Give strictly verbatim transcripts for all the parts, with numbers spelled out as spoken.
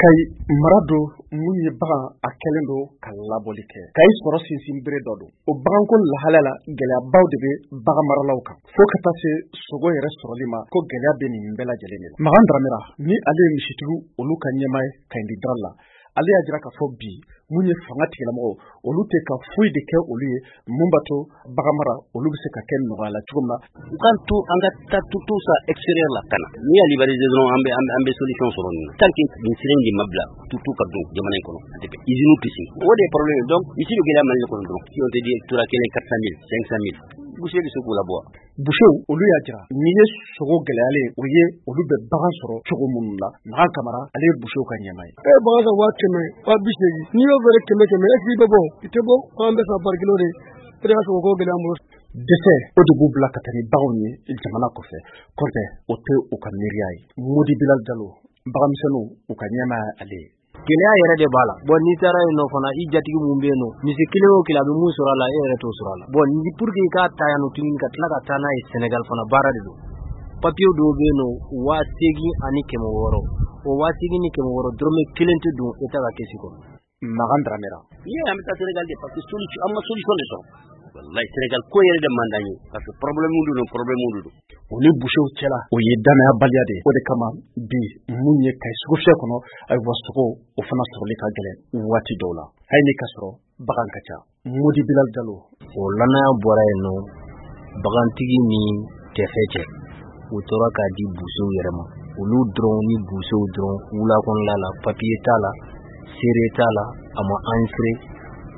Kayi mara don mun ye bagan a kɛlen don ka labɔli kɛ. Kayi sɔrɔ sinsin bere dɔ don. O baganko lahalaya la, gɛlɛyabaw de bɛ bagan maralaw kan, fo ka taa se sogo yɛrɛ sɔrɔli ma, ko gɛlɛya bɛ nin bɛɛ lajɛlen de la. Makan Dramera ni ale ye misitigiw olu ka ɲɛmaa ye Kayindi Dara la, ale y'a jira k'a fɔ bi mun ye fanga tigilamɔgɔw olu tɛ ka foyi de kɛ olu ye mun b'a to bagan mara olu bɛ se ka kɛ nɔgɔya la cogo min na. U k'an to an ka taa tuto sa extérieur la ka na, n'i y'a libéraliser dɔrɔn, an bɛ an bɛ solution sɔrɔ nin na. Tant que nin sira in de ma bila, tuto ka don jamana in kɔnɔ, a tɛ bɛn, usine tɛ sigi, o de ye problème. Donc misi bɛ gɛlɛya Mali kɔnɔ dɔrɔn, si on te dit tura kelen quatre cent mille, cinq cent mille, boucher bɛ se k'o labɔ wa? Busew olu y'a jira n'i ye sogo gɛlɛyalen o ye, olu bɛ bagan sɔrɔ cogo minnu la. Makan Kamara, ale ye busew ka ɲɛmaa ye. E ye bagan san waa kɛmɛ, waa bi seegin, n'i y'o feere kɛmɛ kɛmɛ, est ce que i bɛ bɔ? I tɛ bɔ. An bɛ san pari kilo de, o de ka sɔgɔ ko gɛlɛya an bolo. Dɛsɛ o de b'u bila ka taa ni baganw ye jamana kɔfɛ, kɔntɛ o tɛ u ka miiriya ye. Modi Bilal Jalo, baganmisɛnninw u ka ɲɛmaa ye ale ye. Gɛlɛya yɛrɛ de b'a la. Bon, n'i taara yen nɔ fana, i jatigi mun bɛ yen nɔ, misi kelen o kelen a bɛ mun sɔrɔ a la, e yɛrɛ t'o sɔrɔ a la. Bon, ni pour que i k'a ta yan nɔ tuguni ka tila ka taa n'a ye Sénégal fana, baara de don. Papier dɔw bɛ yen nɔ, waa seegin ani kɛmɛ wɔɔrɔ, o waa seegin ni kɛmɛ wɔɔrɔ, dɔrɔmɛ kelen tɛ don État ka caisse kɔnɔ. Makan Dramera. N'i y'a ye an bɛ taa Sénégal de, parce que solution, an ma solution de sɔrɔ. Wallahi, Sénégal ko yɛrɛ de man d'an ye, parce que problème de don, problème de don. O ni busew cɛla, o ye danaya baliya de ye. O de kama bi mun ye Kayi sugufiyɛ kɔnɔ, ayiwa, sogo o fana sɔrɔli ka gɛlɛn waati dɔw la, hali ni ka sɔrɔ bagan ka ca. Modi Bilal Jalo. O lanaya bɔra yen nɔ, bagantigi ni tɛfɛ cɛ, u tora k'a di busew yɛrɛ ma, olu dɔrɔn ni busew dɔrɔn wula kɔnɔla la. Papiye t'a la, seere t'a la, a ma enregistré.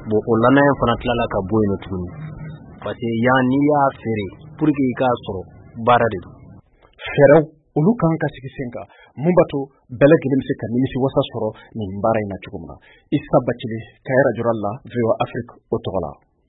Bon, o lanaya fana tilala ka bɔ yen nɔ tuguni, parce que yan n'i y'a feere, pour que i k'a sɔrɔ, baara de don. Fɛɛrɛw olu kan ka sigi sen kan mun b'a to bɛɛ lajɛlen bɛ se ka nimisi wasa sɔrɔ nin baara in na cogo min na. Isa Bacili, Kayi Radio la, V O A Afrique o tɔgɔ la.